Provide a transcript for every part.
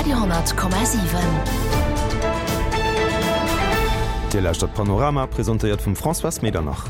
Radio 10,7. Dir lauschtert Panorama, presentéiert vum Françoise Medernach.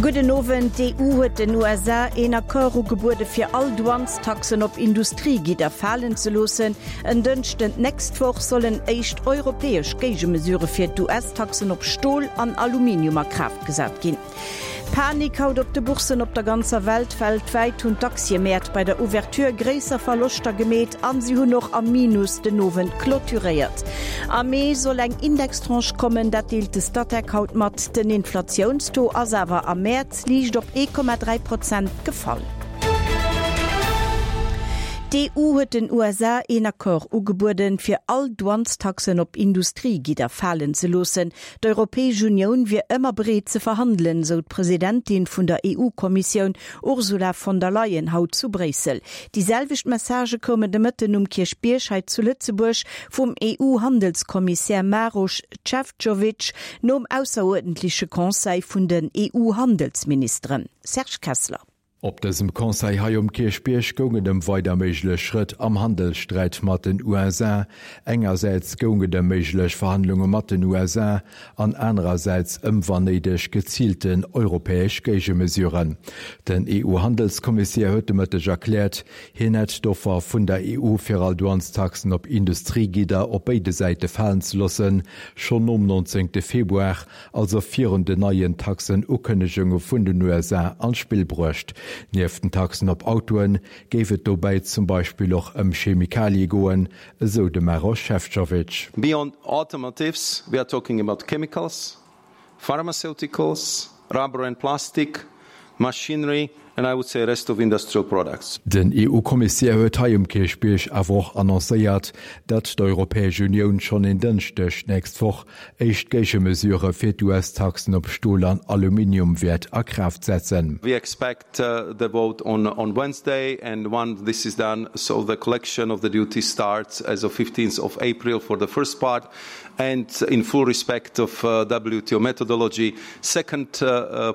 Gudden Owend. D'EU huet den USA een Accord ugebuede fir all Douanestaxen op Industriegidder falen ze loossen. En Dënschden d'nächst Woch sollen éischt europäesch Géigemesure fir d'US-Taxen op Stol an Aluminium a Kraaft gesat ginn. Panik haut op de Bourssen op der ganzer Welt. Weltwäit hunn d'Aktiemäert bei der Ouverture gréisser Verloschter gemeet an si hunn och am Minus den Owend clôturéiert. Am Mee soll eng Indextranche kommen, dat deelt de Statec haut mat. Den Inflatiounstaux ass awer am Mäerz liicht op 1,3 Prozent gefall. D'EU huet den USA een Accord ugebueden, fir all Douanestaxen op Industriegidder falen ze loossen. D'Europäesch Unioun wier ëmmer bereet ze verhandelen, sou d'Presidentin vun der EU-Kommissioun Ursula von der Leyen haut zu Bréissel. Déi selwecht Messagë koumen de Mëtten um Kierchbierg hei zu Lëtzebuerg vum EU-Handelskommissär Maroš Šefčovič nom ausseruerdentleche Conseil vun den EU-Handelsministeren. Serge Kessler. Op dësem Conseil hei um Kierchbierg goung et ëm weider méiglech Schrëtt am Handelssträit mat den USA. Engersäits goung et ëm méiglech Verhandlunge mat den USA an anerersäits ëm wann néideg geziilten europäesch Géigemesuren. Den EU-Handelskommissär huet de Mëtteg erkläert, hien hätt d'Offer vun der EU fir all Douanestaxen op Industriegidder op béide Säite falen ze loossen, schonn nom 19 Februar also virun den neien Taxen-Ukënnegunge vun den USA an d'Spill bruecht. Nieft den Taxen op Autoen géif et dobäi zum Beispill och ëm Chemikalie goen, esou de Maroš Šefčovič. Beyond automotives, we are talking about chemicals, pharmaceuticals, rubber and plastic, machinery and I would say rest of industrial products. Den EU-Kommissär huet hei um Kierchbierg awer och annoncéiert, datt d'Europäesch Unioun schonn en Dënschdeg d'nächst Woch éischt Géigemesurë fir d'US-Taxen op Stol an Aluminium wäert a Kraaft setzen. We expect the vote on Wednesday and once this is done, so the collection of the duties starts as of 15th of April for the first part and in full respect of WTO methodology, second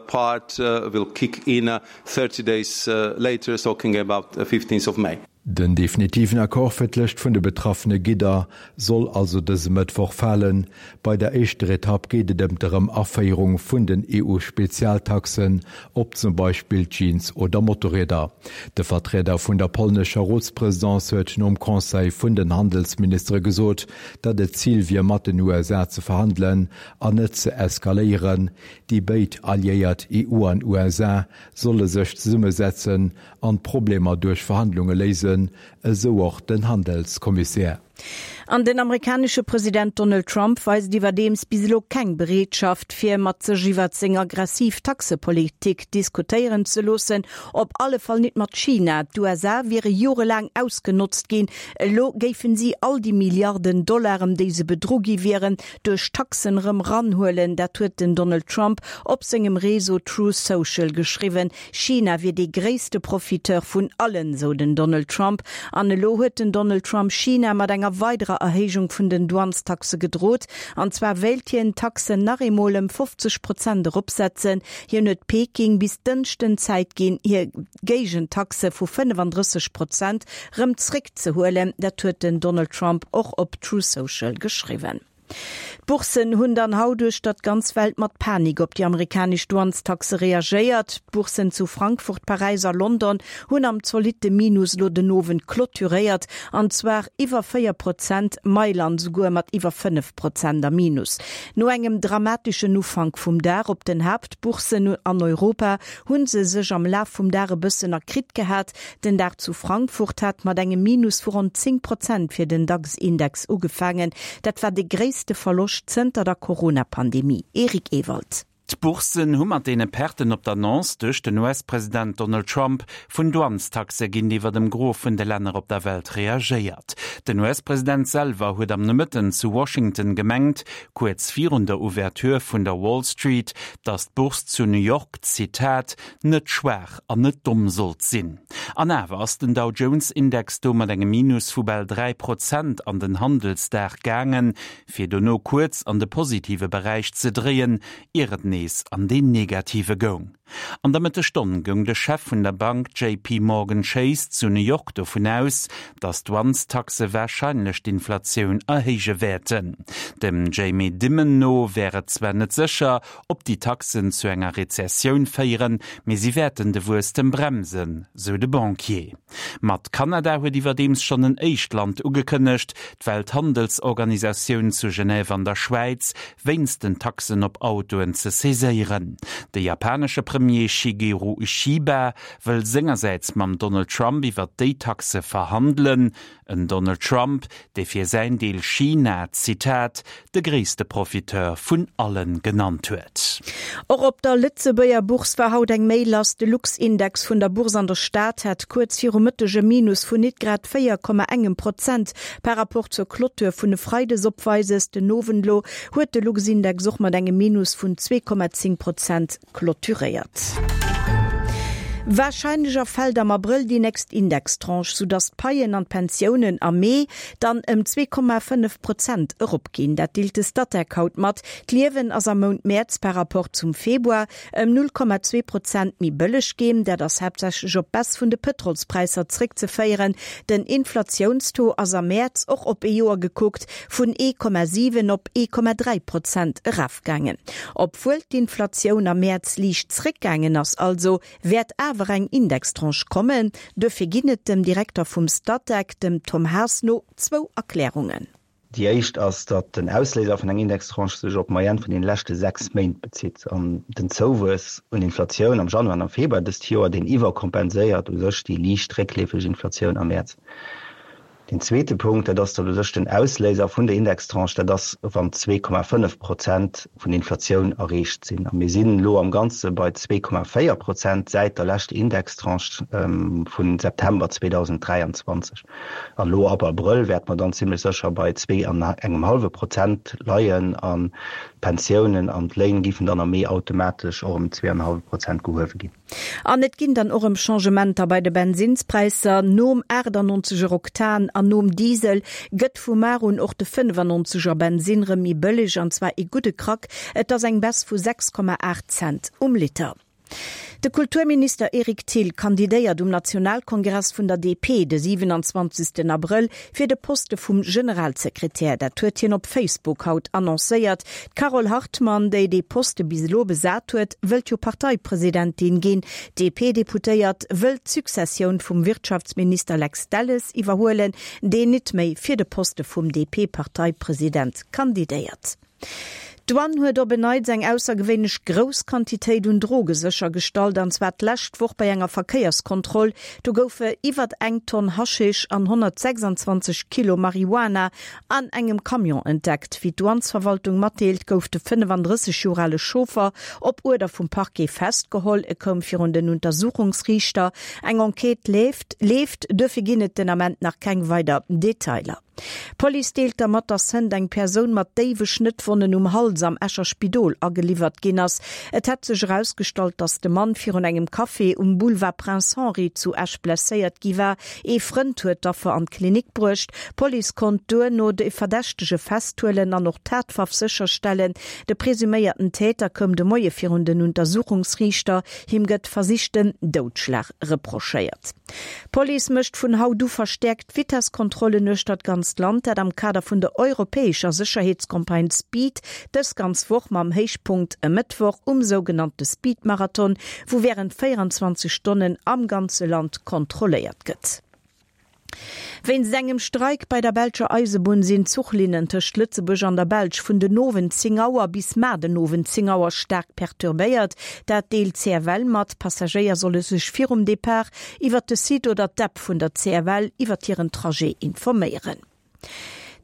part will kick in 30 days later, talking about 15th of May. Den definitiven Accord fir d'Lëscht vun de betraffene Gidder soll also dëse Mëttwoch falen. Bei der éischter Etapp geet et ëm d'Erëm-Aféierung vun den EU-Spezialtaxen op zum Beispill Jeans oder Motorrieder. De Vertrieder vun der polnescher Rotspresidence huet nom Conseil vun den Handelsministere gesot, datt et d'Zil wier mat den USA ze verhandelen an net ze eskaléieren. Déi béid Alliéiert EU an USA solle sech zesummesetzen an d'Problemer duerch Verhandlunge léisen, esou och den Handelskommissär. An den amerikanesche President Donald Trump weist iwwerdeems bis elo keng Bereetschaft, fir mat sech iwwert seng aggressiv Taxepolitik diskutéieren ze loossen. Op alle Fall nit mat China. D'USA wiere jorelaang ausgenotzt ginn. Elo géifen si all déi Milliarden Dollar, ëm déi se bedru gi wieren, duerch Taxen erëm ranhuelen. Dat huet den Donald Trump op sengem Réseau Truth Social geschriwwen. China wier dee gréisste Profiteur vun allen, sou den Donald Trump. An elo huet den Donald Trump China mat enger weiderer Erhéijung vun den Douanestaxe gedrot. An zwar wéilt hien d'Taxen nach eemol ëm 50 Prozent eropsetzen. Hien huet Peking bis Dënschden Zäit ginn, hir Géigentaxe vu 35 Prozent rëm zréckzehuelen. Dat huet den Donald Trump och op Truth Social geschriwwen. D'Bourssen hunn dann haut uechter d'ganz Welt mat Panik op déi amerikanesch Douanestaxe reagéiert. D'Bourssen zu Frankfurt, Paräis a London hunn am zolitte Minus elo den Owend clôturéiert, an zwar iwwer 4 Prozent, Mailand souguer mat iwwer 5 Prozent am Minus. No engem dramateschen Ufank vum Dag op den Haaptbourssen an Europa hu se sech am Laf vum Dag e bëssen erkritt gehat. Den Dag zu Frankfurt hat mat engem Minus vu ronn 10 Prozent fir den DAX-Index ugefaangen. Dat war de gréisste Verloscht zënter der Corona-Pandemie. Eric Ewald. D'Bourssen hu mat deene Perten op d'Annonce duerch den US-President Donald Trump vun Douanestaxe géintiwwer dem Gros vun de Länner op der Welt reagéiert. Den US-President selwer huet am Nomëtten zu Washington gemengt, kuerz virun der Ouverture vun der Wall Street, datt d'Bourse zu New York, Zitat, net schwaach an net domm sollt sinn. An awer ass den Dow Jones Index do mat engem Minus vu bal 3 Prozent an den Handelsdag gaangen, fir dono kuerz an de positive Beräich ze dréien, ier et nees. nees an deen negative goung. An der Mëttesstonn goung de Chef vun der Bank JP Morgan Chase zu New York dovun aus, datt d'Douanestaxe warscheinlech d'Inflatioun erhéije wäerten. Dem Jamie Dimon no wär et zwar net sécher, ob déi Taxen zu enger Rezessioun féieren, mee si wäerten de Wuesstem bremsen, sou de Banquier. Mat Kanada huet iwwerdeems schonn en éischt Land ugekënnegt, d'Welthandelsorganisatioun zu Genève an der Schwäiz wéinst den Taxen op Autoen ze saiséieren. De japanesche Premier Shigeru Ishiba wëll sengersäits mam Donald Trump iwwer déi Taxe verhandelen. En Donald Trump, dee fir säin Deel China, Zitat, de gréisste Profiteur vun allen genannt huet. Och op der Lëtzebuerger Bourse war haut eng Méi lass. De Luxindex vun der Bourse an der Stad hat kuerz viru Mëtteg e Minus vun nit grad 4, engem Prozent par rapport zur Clôture vun e Freides opweises. Den Owend elo huet de Luxindex och mat engem Minus vun 2,10 Prozent clôturéiert. Warscheinlech erfält am Abrëll déi nächst Indextranche, soudass d'Paien an d'Pensiounen am Mee dann ëm 2,5 Prozent eropginn. Dat deelt de Statec haut mat. D'Liewen ass am Mount Mäerz par rapport zum Februar ëm 0,2 Prozent méi bëlleg ginn. Dat ass haaptsächlech op d'Baisse vun de Pëtrolspräisser zréckzeféieren. Den Inflatiounstaux ass am Mäerz, och op ee Joer gekuckt, vun 1,7 op 1,3 Prozent eraf. Gaangen. Obwuel d'Inflatioun am Mäerz liicht zréckgaangen ass also, wäert awer eng Indextranche kommen. Duerfir ginn et dem Direkter vum Statec, dem Tom Haas no, zwou Erklärungen. Déi éischt ass, datt den Ausléiser vun enger Indextranche sech op d'Moyenne vun deene leschte 6 Méint bezitt an den Zouwuess un Inflatioun am Januar an am Februar dëst Joer, deen iwwerkompenséiert u sech déi liicht réckleefeg Inflatioun am Mäerz. Deen zweete Punkt, dat ass, datt u sech den Ausléiser vun der Indextranche, dat ass, wann 2,5 Prozent vun Inflatioun erreecht sinn. A mir sinn elo am Ganze bei 2,4 Prozent säit der leschter Indextranche vu September 2023. An elo ab Abrëll wäerte mer dann zimlech sécher bei zwee an engem hallwe Prozent leien an d'Pensiounen an d'Léin géifen dann am Mee automatesch och ëm zwee an e hallwe Prozent gehuewe ginn. An et ginn dann och erëm Changementer bei de Bensinnspräisser. Nom 98 er Oktan an nom Diesel gëtt vu mar un och de 95 er Bensinn rëm méi bëlleg, an zwar ee gudde Krack. Et ass eng Baisse vu 6,8 Cent um Liter. De Kulturminister Eric Thill kandidéiert um Nationalkongress vun der DP de 27 Abrëll fir de Poste vum Generalsekretär. Dat huet hien op Facebook haut annoncéiert. D'Carole Hartmann, déi dee Poste bis elo besat huet, wëllt jo Parteipresidentin ginn. D'DP-Deputéiert wëllt d'Successioun vum Wirtschaftsminister Lex Delles iwwerhuelen, deen nit méi fir de Poste vum DP-Parteipresident kandidéiert. D'Douane huet op en Neits eng aussergewéinlech grouss Quantitéit un Droge séchergestallt, an zwar d'lescht Woch bei enger Verkéierskontroll. Do goufe iwwert eng Tonn Haschisch an 126 Kilo Marihuana an engem Camion entdeckt. Wéi d'Douanesverwaltung matdeelt, gouf de 35 Joer ale Chauffer op Uerder vum Parquet festgeholl. E koum virun den Untersuchungsriichter. Eng Enquête leeft, leeft, duerfir ginn et den Ament nach keng weider Detailer. D'Police deelt da mat, dass hënt eng Persoun mat déiwe Schnëttwonnen um Hals am Escher Spidol ageliwwert ginn ass. Et hätt sech erausgestallt, dass de Mann virun engem Café um Boulevard Prince Henri zu Esch blesséiert gi war. Ee Frënd huet d'Affer an d'Klinik bruecht. D'Police konnt duerno de Verdächtege festhuelen an och d'Tatwaff sécherstellen. De presuméierten Täter koum de Moie virun den Untersuchungsriichter. Him gëtt versichten Doudschlag reprochéiert. D'Police mécht vun haut u verstäerkt Vitesskontrollen uechter d'ganzt Land. Dat am Kader vun der europäescher Sécherheetscampagne Speed. Dës ganz Woch mam Héichpunkt e Mëttwoch um sougenannte Speed-Marathon, wou wärend 24 Stonnen am ganze Land kontrolléiert gëtt. Wéinst engem Streik bei der belscher Eisebunn sinn d'Zuchlinnen tëscht Lëtzebuerg an der Belsch vun den Owend 10 Auer bis mar den Owend 10 Auer staark perturbéiert. Dat deelt d'CFL mat. D'Passagéier solle sech virum Depart iwwert de Site oder d'App vun der CFL iwwert hiren Trajet informéieren.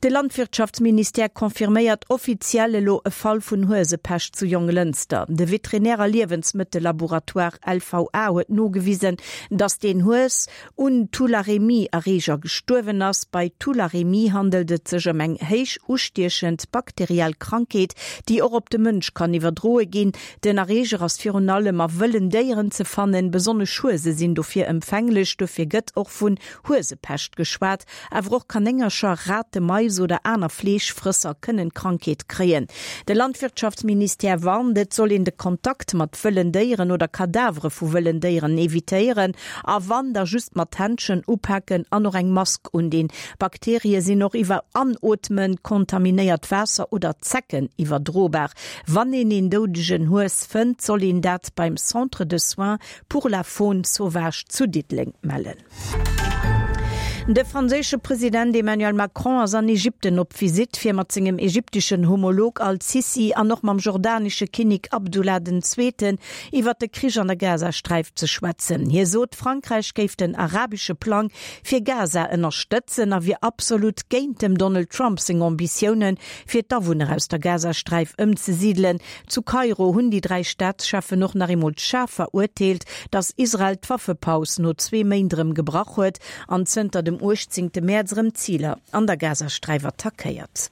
De Landwirtschaftsministère confirméiert offiziell elo e Fall vun Huesepescht zu Jonglënster. De Veterinär a Liewensmëttellaboratoire LVA huet nogewisen, datt deen Hues un Tularemie-Erreeger gestuerwen ass. Bei Tularemie handelt et sech ëm eng héich ustiechend bakteriell Krankheet, déi och op de Mënsch kann iwwerdroe ginn. Den Erreeger ass virun allem a wëllen Déieren ze fannen, besonnesch Huese sinn dofir empfänglech. Dofir gëtt och vun Huesepescht geschwat. Awer och Kanéngercher, Rate, Maisen. Mais oder aner Fleeschfrësser kënnen d'Krankheet kréien. De Landwirtschaftsministère warnt, et soll een de Kontakt mat wëllen Déieren oder Kadavere vu wëllen Déieren evitéieren a wann, da just mat Händschen upaken an och eng Mask undinn. Bakterie sinn och iwwer Anootmen, kontaminéiert Waasser oder Zecken iwwerdrobar. Wann een een doudegen Hues fënnt, soll een dat beim Centre de soins pour la faune sauvage zu Diddeleng mellen. De franséische President Emmanuel Macron ass an Ägypten op Visitt, fir mat sengem ägypteschen Homolog Al-Sissi an och mam jordanesche Kinnek Abdullah den Zweeten iwwer de Krich an der Gazasträif ze schwätzen. Hie sot, Frankräich géif den arabesche Plang fir Gaza ënnerstëtzen a wier absolut géint dem Donald Trump seng Ambitiounen, fir d'Awunner aus der Gazasträif ëmzesidelen. Zu Kairo hunn déi 3 Staatscheffen och nach eemol schaarf verurteelt, datt Israel d'Waffepaus no zwee Méint erëm gebrach huet an zënter dem 18 Mäerz erëm Ziler an der Gazasträif attackéiert.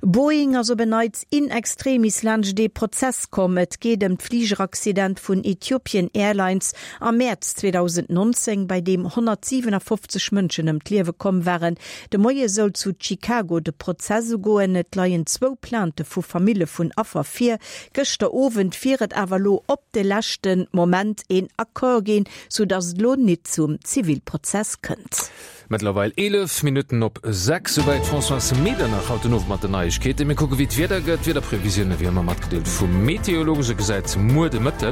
Boeing ass op en Neits in extremis laanscht ee Prozess komm. Et geet ëm d'Fligeraccident vun Ethiopian Airlines am Mäerz 2019, bei deem 157 Mënschen ëm d'Liewe komm waren. De Moie soll zu Chicago de Prozess ugoen. Et leien zwou Plainte vu Famille vun Affer vir. Gëschter Owend wier et awer elo op de leschte Moment een Accord ginn, sou datt et elo nit zum Zivilprozess kënnt. Mëttlerweil 11 Minutten op 6, souwäit d'Françoise Medernach haut den Owend mat den Neiegkeeten. Mir kucke wéi d'Wieder gëtt. D'Wiederprevisioune wéi ëmmer matgedeelt vum Meteolog. Se gesäit muer de Mëtte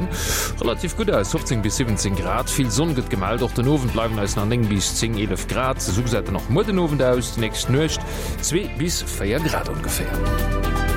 relativ gutt aus, 15 bis 17 Grad, vill Sonn gëtt gemellt. Och den Owend bleiwen eis nach 9 bis 10, 11 Grad. Esou gesäit en och muer den Owend aus, déi nächst Nuecht 2 bis 4 Grad ongeféier.